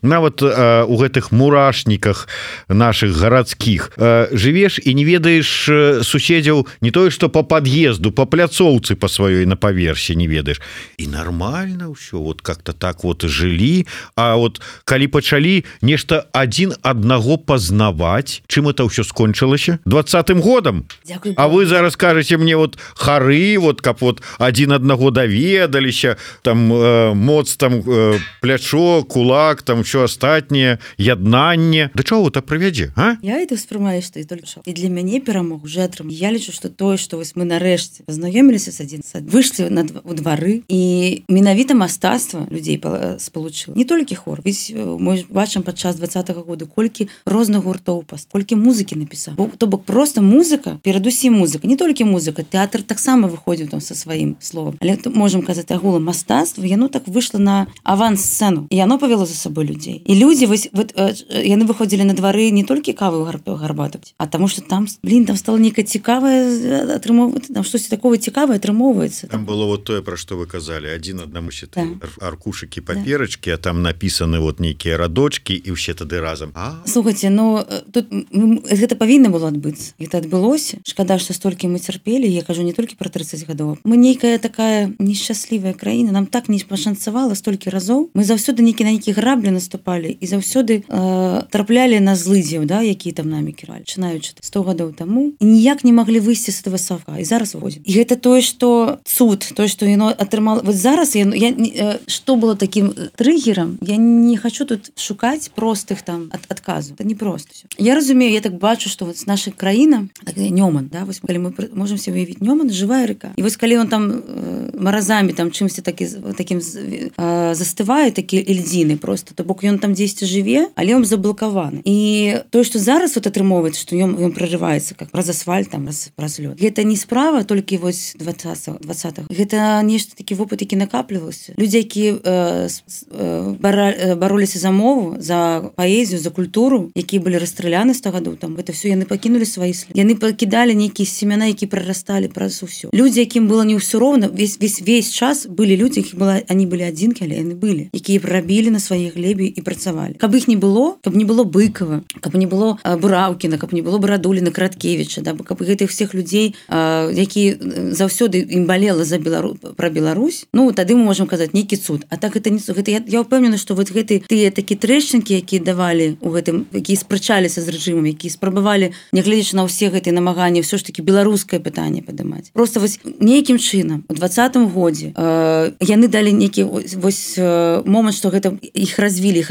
Нават э, у гэтых мурашніках наших гарадскіх э, жывеш і не ведаеш э, суседзяў не тое, што по пад'езду, по пляцоўцы по сваёй на паверсе не ведаеш. І нормально ўсё, вот как-то так вот жылі, а вот калі пачалі нешта адзін аднаго пазнаваць, чым это ўсё скончылася? двадцатым годам. Дякую, а вы зараз кажаце мне вот хары, вот каб вот адзін аднаго даведаліся, там э, моц, там э, плячо, кулак, там ўсё астатняе, яднанне. Да чаго это прывядзе, а? Я это ўспрымаю, што і толькі што. І для мяне перамог уже атрым. Я лічу, што тое, што вось мы нарэшце пазнаёміліся з адзін сад, выйшлі на у двары, і менавіта мастацтва людзей спалучыла. Не толькі хор. Ведь мы бачым падчас двадцатага года, колькі розных гуртоў, колькі музыкі напісаў. То бок просто музыка, перадусім музыка, не толькі музыка, тэатр таксама выходзіў там са сваім словам. Але можам казаць агулам мастацтва, яно так выйшла на авансцэну, і яно павяло за сабой людзей. І людзі вось вот, яны выходзілі на двары не толькі каву гарбату, а таму што там, блин, там стало нейкае цікавае атрымоўваць, там штосьці такое цікавае атрымоўваецца. Там было вот тое, пра што вы казалі, адзін аднаму ще да. аркушыкі паперачкі, да. А там напісаны вот нейкія радочкі і ўсе тады разам. А? Слухайце, ну тут гэта павінна было адбыцца. Гэта адбылося. Шкада, што столькі мы цярпелі, я кажу не толькі пра трыццаць гадоў. Мы нейкая такая нешчаслівая краіна, нам так не пашанцавала столькі разоў. Мы заўсёды нейкі на нейкі граблі наступалі і заўсёды э, траплялі на злыдзеў, да, якія там намі кіралі, пачынаючы сто гадоў таму, і ніяк не маглі выйсці з этого савка. І зараз выходзім. І гэта тое, што цуд, тое, што яно атрымала. Вот зараз я, я э, што было такім трыгерам, я не хочу тут шукаць простых там ад, адказу. Это не просто всё. Я разумею, я так бачу, што вот наша краіна, такая Нёман, да, вось калі мы можем себе уявіць Нёман, жывая река. І вось калі он там э, маразамі там чымсьці такі такім э, застывае, такі льдзіны просто, то бок ён там дзесьці жыве, але он заблокаваны. І тое, што зараз вот атрымоўваецца, што ён ён прорываецца как праз асфальт там праз, праз лёд. Гэта не справа толькі вось двадцатых. Гэта нешта такі вопыт, які накапліваўся. Людзі, якія э, э, бара, бароліся за мову, за паэзію, за культуру, якія былі расстраляны сто гадоў там, гэта все яны пакінулі свае след. Яны пакідалі нейкія семяна, які прарасталі праз усё. Людзі, якім было не ўсё роўна, весь весь весь час былі людзі, які была, они былі адзінкі, але яны былі, якія прабілі на сваёй глебе і працавалі. Каб іх не было, каб не было Быкова, каб не было Бураўкіна, каб не было Барадуліна, Краткевіча, да, каб гэтых всех людзей, які заўсёды ім балела за Белару... пра Беларусь, ну тады мы можам казаць нейкі цуд. А так гэта не гэта я, я ўпэўнена, што вот гэты тыя такі трэшчынкі, якія давалі у гэтым, якія спрачаліся з рэжымам, якія спрабавалі, нягледзячы на ўсе гэтыя намаганні, ўсё ж такі беларускае пытанне падымаць. Просто вось нейкім чынам у двадцатым годзе э, яны далі нейкі вось э, момант, што гэта іх развілі, іх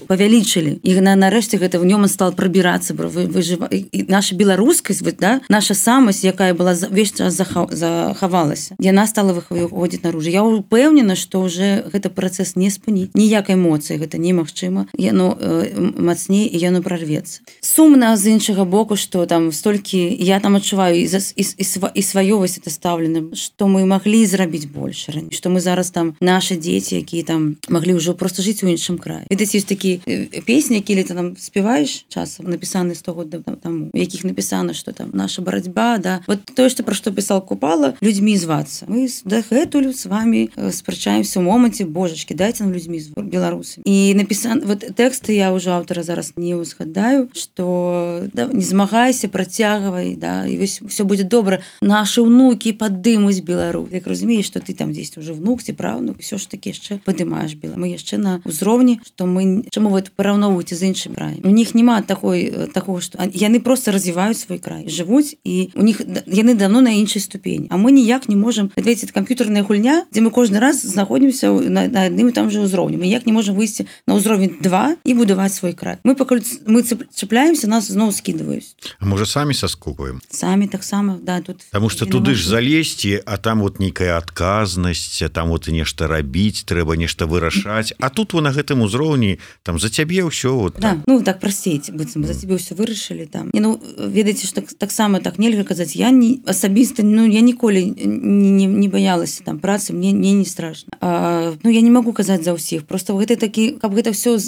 павялічылі. І на нарэшце гэта в нём стал прабірацца, выжыва... і наша беларускасць, вот, да, наша самасць, якая была увесь час заха... захавалася. Яна стала выходзіць наружу. Я ўпэўнена, што ўжо гэта працэс не спыніць. Ніякай эмоцыі гэта немагчыма. Яно э, мацней і яно прорвецца. Сумна з іншага боку, што там столькі я там адчуваю і, і, і, і сваёвасць это стаўлена, што мы маглі зрабіць больш раней, што мы зараз там нашы дзеці, якія там маглі ўжо просто жыць у іншым краі. Відаць, ёсць такі песні, якія ты там спяваеш часам, напісаны сто год таму, у якіх напісана, што там наша барацьба, да. Вот тое, што пра што пісаў Купала, людзьмі звацца. Мы дагэтуль з вами спрачаемся ў моманце, божачкі, дайце нам людзьмі зваць, беларусамі. І напісаны, вот тэксты я ўжо аўтара зараз не узгадаю, што да, не змагайся, працягвай, да, і вось все будзе добра. Нашы ўнукі падымуць Беларусь. Як разумееш, што ты там дзесьці ўжо внук ці правнук, ўсё ж такі яшчэ падымаеш Беларусь. Мы яшчэ на ўзроўні, што мы чаму вы параўноўваеце з іншым краем. У них няма такой такого, што яны просто развіваюць свой край, жывуць, і у них яны давно на іншай ступені. А мы ніяк не можам, ведаеце, камп'ютарная гульня, дзе мы кожны раз знаходзімся на, на адным і там жа ўзроўні. Мы ніяк не можам выйсці на ўзровень два і будаваць свой край. Мы пакуль мы чапляемся, нас зноў скідваюць. А можа самі саскокваем? Самі таксама, да, тут. Таму што туды ж залезці, а там вот нейкая адказнасць, там вот і нешта рабіць, трэба нешта вырашаць. А тут вы на гэтым узроўні там за цябе ўсё вот. Да, ну так прасцей, быццам за цябе ўсё вырашылі там. Не, ну ведаеце, што таксама так нельга казаць. Я не асабіста, ну я ніколі не, не, не баялася там працы, мне, мне не страшна. А, ну я не магу казаць за ўсіх. Просто гэта такі, каб гэта ўсё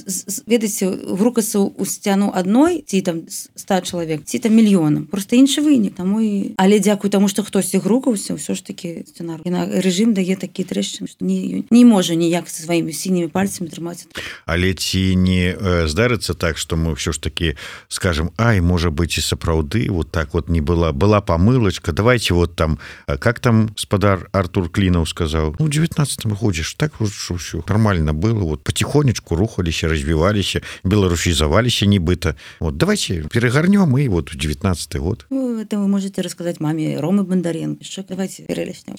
ведаеце, грукацца ў сцяну адной, ці там ста чалавек, ці там мільёнам. Просто іншы вынік. Таму і але дзякуй таму, што хтосьці грукаўся, ўсё ж такі сцэнар. І на рэжым дае такі трэшчыны, што не, не можа ніяк са сваімі сінімі пальцамі трымаць. Але ці не э, здарыцца так, што мы ўсё ж такі скажем, ай, можа быць і сапраўды вот так вот не была, была памылачка, давайте вот там, как там спадар Артур Клінаў сказаў, ну, у девятнадцатым годзе ж так ўсё нормально было, вот потихонечку рухаліся, развіваліся, беларусізаваліся нібыта. Вот давайте перегарнём і вот у девятнадцатый год. Ну, это вы можете рассказать маме Ромы Бондаренко. Что давайте перелеснем.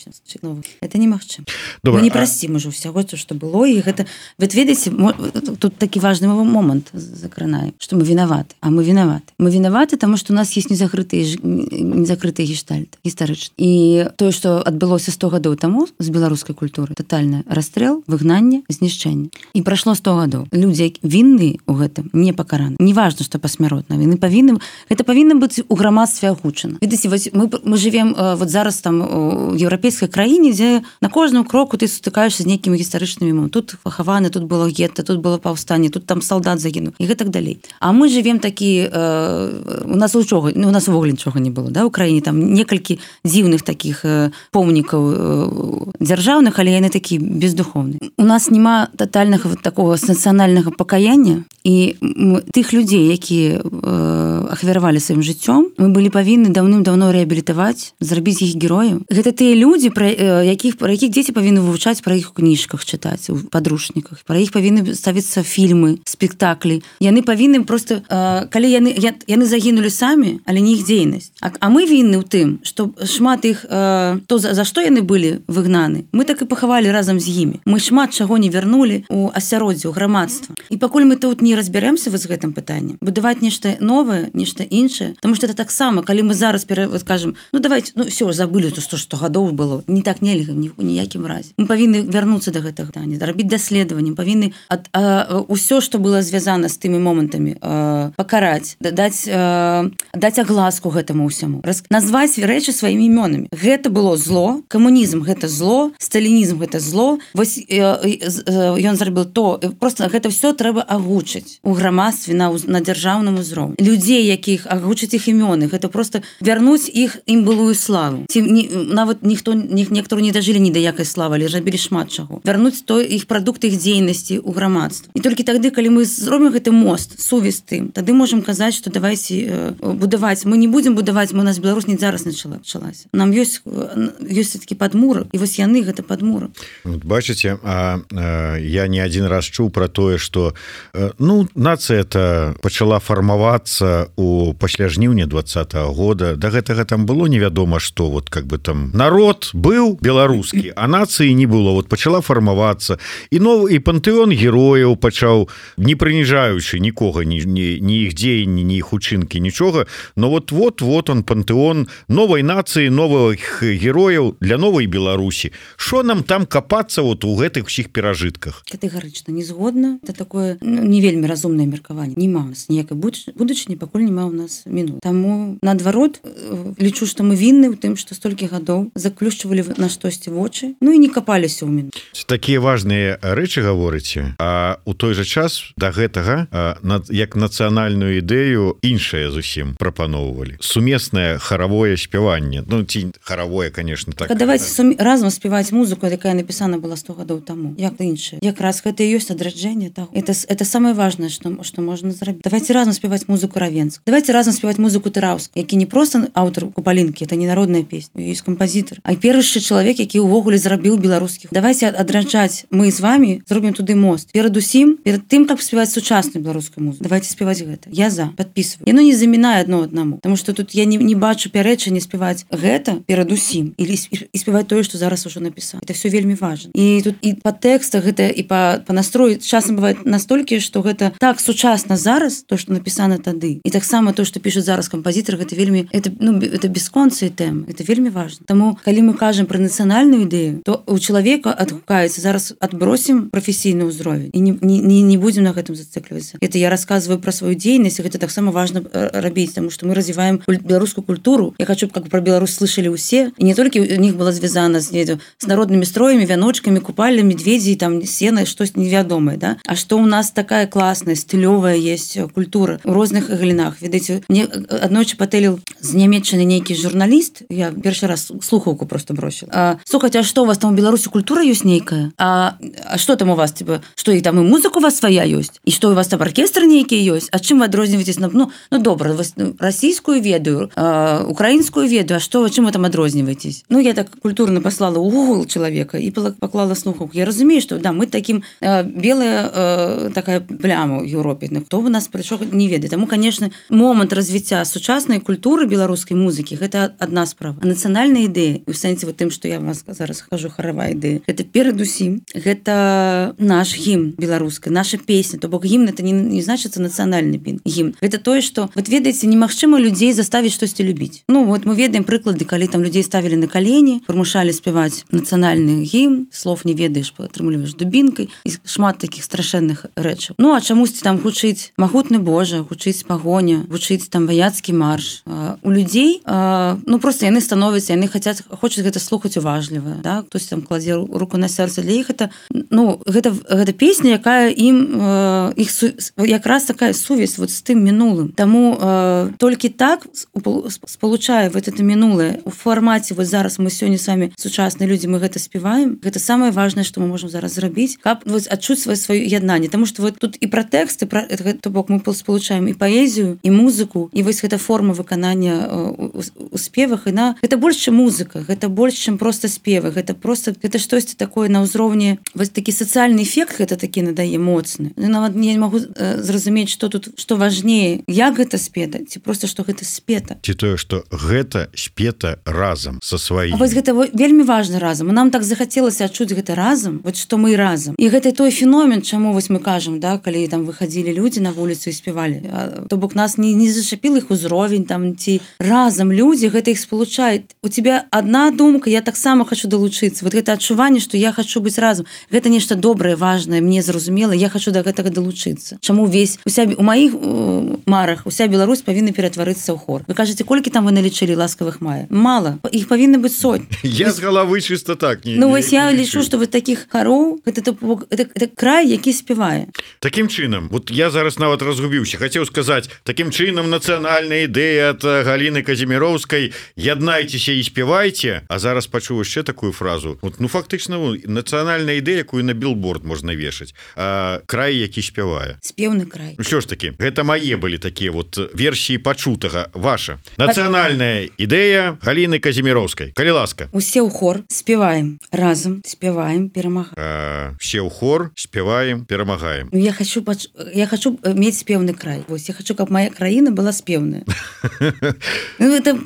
Это немагчыма. Мы не простим а... уже всего, что было, и это вот видите, тут такі важный момент закранае, что мы виноваты, а мы виноваты. Мы виноваты, потому что у нас есть незакрытые незакрытые гештальты гістарычныя. І тое, што адбылося сто гадоў таму з беларускай культуры, тотальны расстрэл, выгнанне, знішчэнне. І прайшло сто гадоў. Людзі вінныя ў гэтым не пакараны. Не важна, што пасмяротна, яны павінны гэта павінна быць у грамадстве агучана. Відаце, вось мы мы живем вот зараз там у еўрапейскай краіне, дзе на кожным кроку ты сутыкаешся з нейкімі гістарычнымі момантамі. Тут пахаваны, тут было гетта, тут было паўстанне, тут там салдат загінуў і гэтак далей. А мы живем такі э, у нас нічога, у нас увогуле нічога не было, да, у краіне там некалькі дзіўных такіх э, помнікаў э, дзяржаўных, але яны такі бездуховныя. У нас няма тотальнага вот такого нацыянальнага пакаяння, і тых людзей, якія э, ахвяравалі сваім жыццём, мы былі павінны даўным-даўно рэабілітаваць, зрабіць іх герояў. Гэта тыя людзі, пра э, якіх пра якіх дзеці павінны вывучаць, пра іх у кніжках чытаць, у падручніках. Пра іх павінны ставіцца фільмы, спектаклі. Яны павінны просто э, калі яны яны загінулі самі, але не іх дзейнасць. А, а мы вінны ў тым, што шмат іх э, то за, за што яны былі выгнаны. Мы так і пахавалі разам з імі. Мы шмат чаго не вярнулі у асяроддзе, у грамадства. І пакуль мы тут не разберемся вот з гэтым пытаннем, будаваць нешта новае, нешта іншае, тому што это таксама, калі мы зараз пере, вот, кажам, ну давайте, ну все, забылі то сто гадоў было, не так нельга ні ў ніякім разе. Мы павінны вярнуцца да гэтага пытання, рабіць даследаванні, павінны ад, а, ўсё, што было звязана з тымі момантамі, а, пакараць, даць, а, даць агласку гэтаму ўсяму, раз, назваць рэчы сваімі імёнамі. Гэта было зло, камунізм гэта зло, сталінізм гэта зло. Вось ён зрабіў то, просто гэта все трэба агучыць у грамадстве на, на дзяржаўным узроўні. Людзей, якіх агучыць іх імёны, гэта просто вярнуць іх ім былую славу. Ці не, нават ніхто некаторы не дажылі ні да якай славы, але рабілі шмат чаго. Вярнуць той іх прадукты іх дзейнасці ў грамадства. І толькі тады, калі мы зробім гэты мост, сувязь тым, тады можам казаць, што давайце э, будаваць. Мы не будзем будаваць, мы у нас Беларусь не зараз началася. Нам ёсць ёсць такі падмурак, і вось яны гэта падмурак. Вот, бачыце, а, а, я не адзін раз чуў пра тое, што э, ну нацыя это пачала фармавацца у пасля жніўня двадцатага года. Да гэтага там было невядома што, вот как бы там народ быў беларускі, а нацыі не было, вот пачала фармавацца і новы і пантэон герояў пачаў, не прыніжаючы нікога, ні, ні, ні іх дзеянні, ні іх учынкі, нічога, но вот вот вот он пантэон новай нацыі, новых герояў для новай Беларусі. Што нам там капацца вот у гэтых усіх перажытках? Катэгарычна не згодна. Это такое ну, не вельмі разумнае меркаванне. Нема у нас ніякай будучыні, пакуль няма ў нас мінут. Таму наадварот лічу, што мы вінны ў тым, што столькі гадоў заключвалі на штосьці вочы, ну і не капаліся ў мінут. Такія важныя рэчы гаворыце, а у той жа час да гэтага як нацыянальную ідэю іншае зусім прапаноўвалі. Сумеснае харавое спяванне. Ну ці харавое, конечно, так. Давайте сум... разам спяваць музыку, якая напісана была сто гадоў таму. Як іншае. Якраз гэта і ёсць адраджэнне, так. Это это самое важное, што што можна зрабіць. Давайте разам спяваць музыку Равенска. Давайте разам спяваць музыку Тараўска, які не проста аўтар Купалінкі, это не народная песня, ёсць кампазітар, а першы чалавек, які ўвогуле зрабіў беларускіх. Давайте адраджаць мы з вами, зробім туды мост. Перадусім, перад тым, каб спяваць сучасную беларускую музыку. Давайте спяваць гэта. Я за, падпісваю. Яно не замінае адно аднаму, таму што тут я не, не бачу пярэчання спяваць гэта перадусім і, і спяваць тое, што зараз ужо напісаў. Это все вельмі важна. І тут і па тэкстах гэта і па, па настрою часам бывае настолькі, што гэта так сучасна зараз, то, што напісана тады. І таксама то, што піша зараз кампазітар, гэта вельмі это, ну, это бясконцыя тэмы. Это вельмі важна. Таму, калі мы кажам пра нацыянальную ідэю, то у чалавека адгукаецца зараз адбросім прафесійны ўзровень і не, не, не будзем на гэтым зацыклівацца. Это я расказваю пра сваю дзейнасць, гэта таксама важна рабіць, таму што мы развіваем беларускую культуру. Я хочу, каб пра Беларусь слышалі ўсе, і не толькі у них была звязана з, з народнымі строямі, вяночкамі, купальнымі, медведзі, там сена, штось невядомае, да? А што у нас такая класная, стылёвая есть культура у розных галінах. Ведаеце, мне аднойчы патэліў з Нямецчыны нейкі журналіст, я першы раз слухаўку просто бросила. А, слухайте, а што у вас там у Беларусі культура ёсць нейкая? А, а што там у вас, типа, што і там і музыка у вас свая ёсць? І што у вас там оркестр нейкі ёсць? А чым вы адрозніваецесь? Ну, ну добра, вас расійскую ведаю, а, украінскую ведаю, а што вы чым вы там адрозніваецесь? Ну, я так культурна паслала ў Google чалавека і паклала слухаўку. Я разумею, што да, мы такім а, белая а, такая пляма ў Еўропе. Ну, хто у нас прыйшоў, не ведае. Таму, конечно, момант развіцця сучаснай культуры беларускай музыкі гэта адна справа. А нацыянальная ідэя, у сэнсе вот тым, што я вас зараз кажу, харавая ідэя, гэта перадусім, гэта наш гімн беларускай, наша песня. То бок гімн это не, не значыцца нацыянальны гімн. Гэта тое, што вот ведаеце, немагчыма людзей заставіць штосьці любіць. Ну вот мы ведаем прыклады, калі там людзей ставілі на калені, прымушалі спяваць нацыянальны гімн, слов не ведаеш, атрымліваеш дубінкай і шмат такіх страшэнных рэчаў. Ну а чамусьці там гучыць магутны Божа, гучыць гучыць пагоня, гучыць там ваяцкі марш. У людзей ну просто яны становяцца, яны хацяць хочуць гэта слухаць уважліва, да? Хтось там кладзе руку на сэрца, для іх это ну гэта гэта песня, якая ім іх якраз такая сувязь вот з тым мінулым. Таму э, толькі так спалучае вот это мінулае у фармаце вот зараз мы сёння самі сучасныя людзі, мы гэта спяваем. Гэта самае важнае, што мы можам зараз зрабіць, каб вот адчуць сваё сваё яднанне, таму што вот тут і пра тэксты, пра то бок мы спалучаем і паэзію, і музыку, і вось гэта форма выканання у спевах, і на гэта больш чым музыка, гэта больш чым проста спевы, гэта просто гэта штосьці такое на ўзроўні вось такі сацыяльны эфект гэта такі надае моцны. Я нават не магу э, зразумець, што тут што важнее, як гэта спета, ці просто што гэта спета. Ці тое, што гэта спета разам са сваім. А вось гэта вельмі важна разам. Нам так захацелася адчуць гэта разам, вот што мы разам. І гэта той феномен, чаму вось мы кажам, да, калі там выхадзілі людзі на вуліцу і спявалі. То бок нас не, не зашапіл іх узровень там ці разам людзі, гэта іх спалучае. У тебя одна думка, я таксама хочу далучыцца. Вот гэта адчуванне, што я хочу быць разам. Гэта нешта добрае, важнае, мне зразумела, я хочу да гэтага далучыцца. Чаму весь уся у маіх марах уся Беларусь павінна ператварыцца ў хор. Вы кажаце, колькі там вы налічылі ласкавых мая? Мала. Іх павінна быць сотні. Я з галавы чыста так не. Ну вось я лічу, што вот такіх хароў гэта, гэта, гэта край, які спявае. Такім чынам, вот я зараз нават разгубіўся, хацеў сказаць, такім чынам нацыянальная ідэя ад Галіны Казіміроўскай, яднайцеся і спявайце, а зараз пачуў яшчэ такую фразу. Вот, ну фактычна нацыянальная ідэя, якую на білборд можна вешаць, а край, які спявае. Спеўны край. Ну що ж такі, гэта мае былі такія вот версіі пачутага. Ваша нацыянальная ідэя Галіны Казіміроўскай. Калі ласка. Усе ў хор спяваем разам, спяваем, перамагаем. Все ў хор спяваем, перамагаем. Я хочу пач... я хочу мець спеўны край. Вось я хочу, каб моя краіна была спеўная. Ну это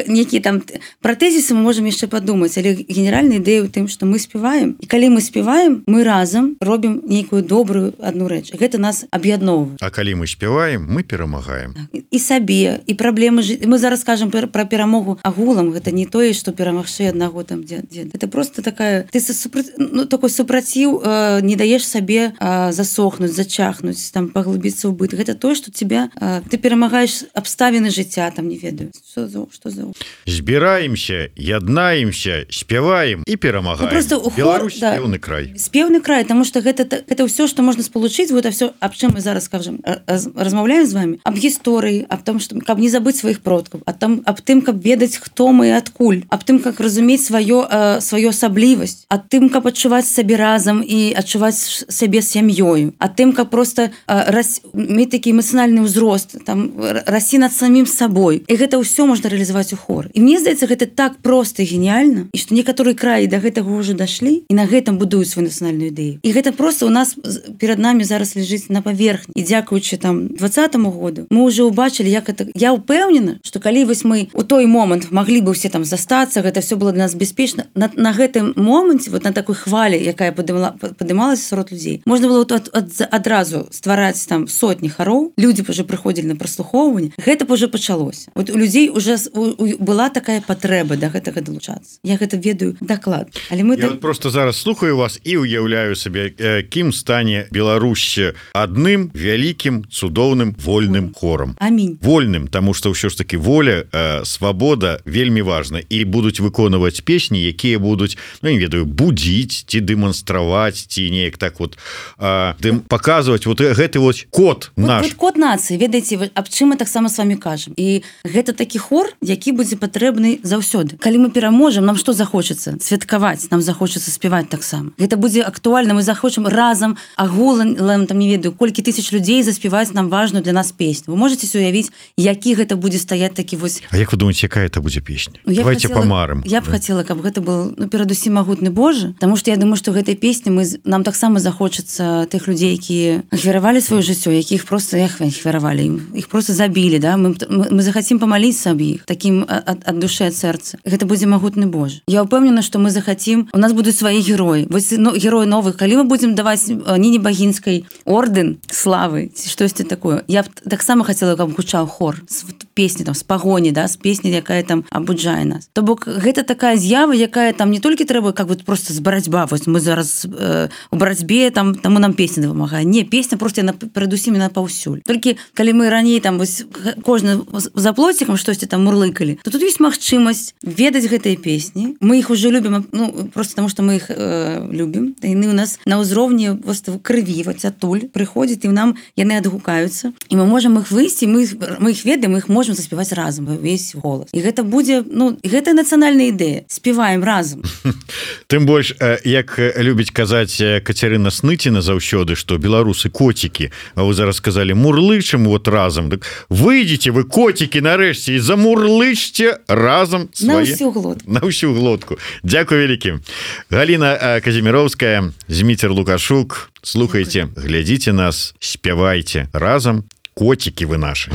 нейкія там пра тэзісы мы можам яшчэ падумаць, але генеральная ідэя ў тым, што мы спяваем, і калі мы спяваем, мы разам робім нейкую добрую адну рэч. Гэта нас аб'ядноўвае. А калі мы спяваем, мы перамагаем. І сабе, і праблемы жы... мы зараз кажам пра перамогу агулам, гэта не тое, што перамагчы аднаго там дзе, дзе. Гэта просто такая ты супра... ну такой супраціў э, не даеш сабе э, засохнуць, зачахнуць, там паглыбіцца ў быт. Гэта тое, што тебя э, ты перамагаеш абставіны жыцця, там не ведаю. Што за што за збіраемся, яднаемся, спяваем і перамагаем. Ну, Беларусь да, спеўны край. Спеўны край, таму што гэта гэта ўсё, што можна спалучыць, вот всё, аб чым мы зараз скажам, раз, размаўляем з вами, аб гісторыі, аб том, што каб не забыць сваіх продкаў, а там аб тым, каб ведаць, хто мы і адкуль, аб тым, как разумець сваё э, сваё асаблівасць, аб тым, каб адчуваць сабе разам і адчуваць сябе сям'ёю, а тым, каб просто э, рас... мець такі эмацыянальны ўзрост, там расці над самім сабой. І гэта ўсё можна рэалізаваць у хор. І мне здаецца, гэта так проста і геніяльна, і што некаторыя краі да гэтага ўжо дашлі і на гэтым будуюць сваю нацыянальную ідэю. І гэта просто у нас перад намі зараз ляжыць на паверхні. І дзякуючы там двадцатаму году мы ўжо ўбачылі, як это. Я ўпэўнена, што калі вось мы у той момант маглі бы ўсе там застацца, гэта все было для нас бяспечна. На, на гэтым моманце, вот на такой хвалі, якая падымалася сярод людзей, можна было ад, ад, адразу ствараць там сотні хароў, людзі б уже прыходзілі на праслухоўванне. Гэта б уже пачалося. Вот у людзей уже у, у, была такая патрэба да гэтага далучацца. Я гэта ведаю даклад. Але мы Я так... просто зараз слухаю вас і уяўляю сабе, кім стане Беларусь адным вялікім, цудоўным, вольным хорам. Амінь. Вольным, таму што ўсё ж таки воля, э, свабода вельмі важна, і будуць выконваць песні, якія будуць, ну не ведаю, будзіць ці дэманстраваць, ці неяк так вот э, дэм, паказваць вот гэты вот код наш. Вот, вот код нацыі, ведаеце, аб чым мы таксама з вами кажам. І гэта такі хор, які будзе патрэбны заўсёды. Калі мы пераможам, нам што захочацца? Святкаваць, нам захочацца спяваць таксама. Гэта будзе актуальна, мы захочам разам агулам, там не ведаю, колькі тысяч людзей заспяваць нам важную для нас песню. Вы можете уявіць, які гэта будзе стаяць такі вось. А як вы думаеце, якая это будзе песня? Ну, Давайте хотела, памарым. Я б да. хацела, каб гэта был, ну, перадусім магутны Божа, таму што я думаю, што гэтай песні мы нам таксама захочацца тых людзей, якія ахвяравалі сваё жыццё, якіх просто эх, ахвяравалі ім, іх просто забілі, да? Мы, мы, мы захацім памаліцца аб іх такім ад, ад душы, ад сэрца. Гэта будзе магутны Божа. Я ўпэўнена, што мы захацім, у нас будуць свае героі. Вось ну, героі новых, калі мы будзем даваць Ніне Багінскай ордэн славы ці штосьці такое. Я б таксама хацела, каб гучаў хор з песні там з пагоні, да, з песні, якая там абуджае нас. То бок гэта такая з'ява, якая там не толькі трэба как вот просто з барацьба, вось мы зараз э, у барацьбе там таму нам песня дапамагае. Не, песня просто яна перадусім на паўсюль. паўсюль. Толькі калі мы раней там вось кожны за плоцікам штосьці там мурлыкалі, то тут ёсць магчымасць ведаць гэтыя песні. Мы іх уже любім, ну просто таму што мы іх э, любім. Яны у нас на ўзроўні крыві, вось адтуль прыходзяць і нам яны адгукаюцца. І мы можам іх выйсці, мы мы іх ведаем, мы іх можам заспяваць разам увесь голас. І гэта будзе, ну гэта нацыянальная ідэя. Спяваем разам. Тым больш, як любіць казаць Кацярына Сныціна заўсёды, што беларусы коцікі, а вы зараз сказалі мурлычым вот разам. Так выйдзеце вы коцікі нарэшце і замурлычце разам свае... На ўсю глотку. На ўсю глотку. Дзякуй вялікі. Галіна Казіміроўская, Зміцер Лукашук. Слухайце, глядзіце нас, спявайце разам, коцікі вы нашы.